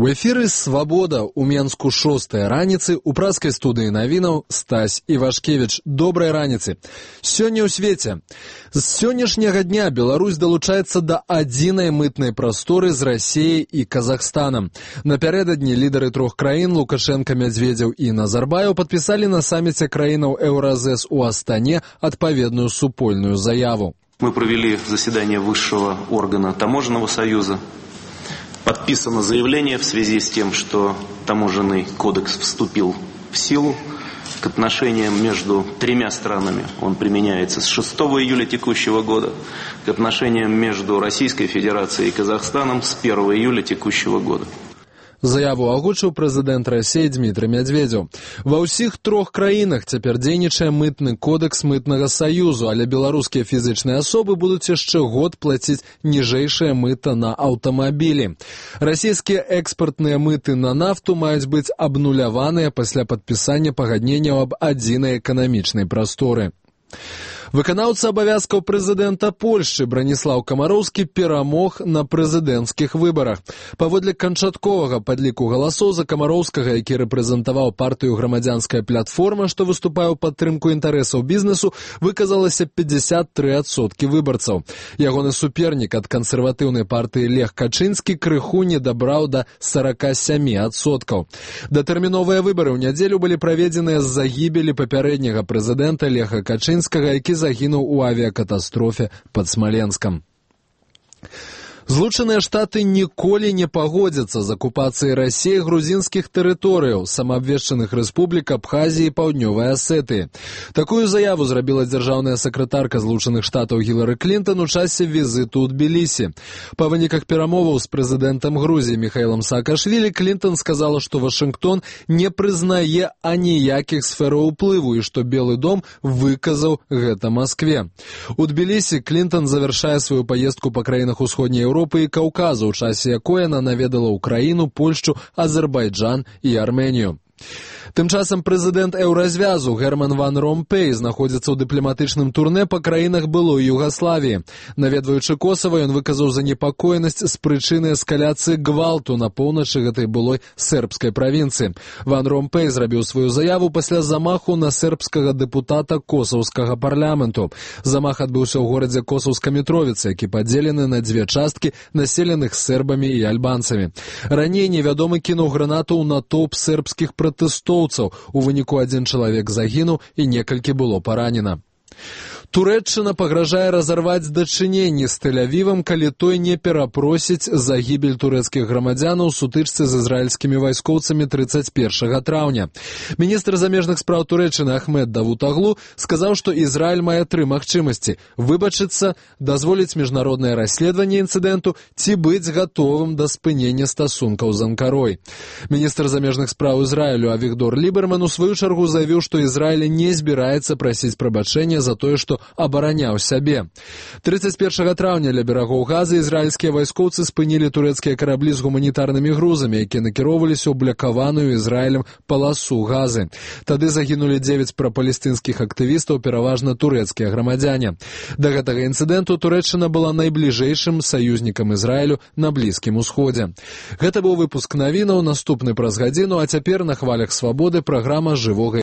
У эфіры «Свабода» у Менску 6-я раніцы, у праскай студыі навінаў Стась Івашкевіч. Добрай раніцы. Сёння ў свеце. З сённяшняга дня Беларусь далучаецца да адзінай мытнай прасторы з Расіяй і Казахстанам. Напярэдадні лідары трох краін Лукашенко, Медведзеў і Назарбаеў падпісалі на саміце краінаў Еўразэс у Астане адпаведную супольную заяву. Мы провели заседание высшего органа Таможенного союза. Подписано заявление в связи с тем, что таможенный кодекс вступил в силу. К отношениям между тремя странами он применяется с 6 июля текущего года. К отношениям между Российской Федерацией и Казахстаном с 1 июля текущего года. Заяву агучыў прэзідэнт Расіі Дмітрый Медведзеў. Ва ўсіх трох краінах цяпер дзейнічае мытны кодекс мытнага саюзу, але беларускія фізычныя асобы будуць яшчэ год плаціць ніжэйшае мыта на аўтамабілі. Расійскія экспартныя мыты на нафту маюць быць абнуляваныя пасля падпісання пагадненняў аб адзінай эканамічнай прасторы. Выканаўца абавязкаў прэзідэнта Польшчы Браніслаў Камароўскі перамог на прэзідэнцкіх выбарах. Паводле канчатковага падліку галасоў за Камароўскага, які рэпрэзентаваў партыю «Грамадзянская платформа», што выступае ў падтрымку інтарэсаў бізнесу, выказалася 53% выбарцаў. Ягоны супернік ад кансерватыўнай партыі Лех Качынскі крыху не дабраў да 47%. Датэрміновыя выбары ў нядзелю былі праведзеныя з-за гібелі папярэдняга прэзідэнта Леха Качынскага, які загінуў у авіякатастрофе пад Смаленскам. Злучаныя Штаты ніколі не пагодзяцца з акупацыяй Расіі грузінскіх тэрыторыяў, самаабвешчаных рэспублік Абхазіі і Паўднёвай Асетыі. Такую заяву зрабіла дзяржаўная сакратарка Злучаных Штатаў Гілары Клінтан у часе візіту ў Тбілісі. Па выніках перамоваў з прэзідэнтам Грузіі Міхаілам Саакашвілі Клінтан сказала, што Вашынгтон не прызнае аніякіх сфераў уплыву і што Белы дом выказаў гэта Маскве. У Тбілісі Клінтан завяршае сваю паездку па краінах усходняй Еўропы і Каўказу, у часе якой яна наведала Украіну, Польшчу, Азербайджан і Арменію. Тым часам прэзідэнт Еўразвязу Герман Ван Ромпей знаходзіцца ў дыпламатычным турнэ па краінах былой Югаславіі. Наведваючы Косава, ён выказаў занепакоенасць з прычыны эскаляцыі гвалту на поўначы гэтай былой сербскай правінцыі. Ван Ромпей зрабіў сваю заяву пасля замаху на сербскага дэпутата косаўскага парламенту. Замах адбыўся ў горадзе Косаўска Мітровіца, які падзелены на дзве часткі, населеных сербамі і альбанцамі. Раней невядомы кінуў гранату ў натоўп сербскіх пратэстоўцаў. У выніку адзін чалавек загінуў і некалькі было паранена. Турэччына пагражае разарваць дачыненні з Тель-Авівам, калі той не перапросіць за гібель турэцкіх грамадзян у сутычцы з ізраільскімі вайскоўцамі 31 траўня. Міністр замежных спраў Турэччыны Ахмед Давутаглу сказаў, што Ізраіль мае тры магчымасці: выбачыцца, дазволіць міжнароднае расследаванне інцыдэнту ці быць гатовым да спынення стасункаў з Анкарой. Міністр замежных спраў Ізраілю Авігдор Ліберман у сваю чаргу заявіў, што Ізраіль не збіраецца прасіць прабачэння за тое, што абараняў сябе. 31 траўня ля берагоў Газы ізраільскія вайскоўцы спынілі турэцкія караблі з гуманітарнымі грузамі, якія накіроўваліся ў блакаваную Ізраілем паласу Газы. Тады загінулі 9 прапалестынскіх актывістаў, пераважна турэцкія грамадзяне. Да гэтага інцыдэнту Турэччына была найбліжэйшым саюзнікам Ізраілю на Блізкім Усходзе. Гэта быў выпуск навінаў, наступны праз гадзіну, а цяпер на хвалях Свабоды праграма «Жывога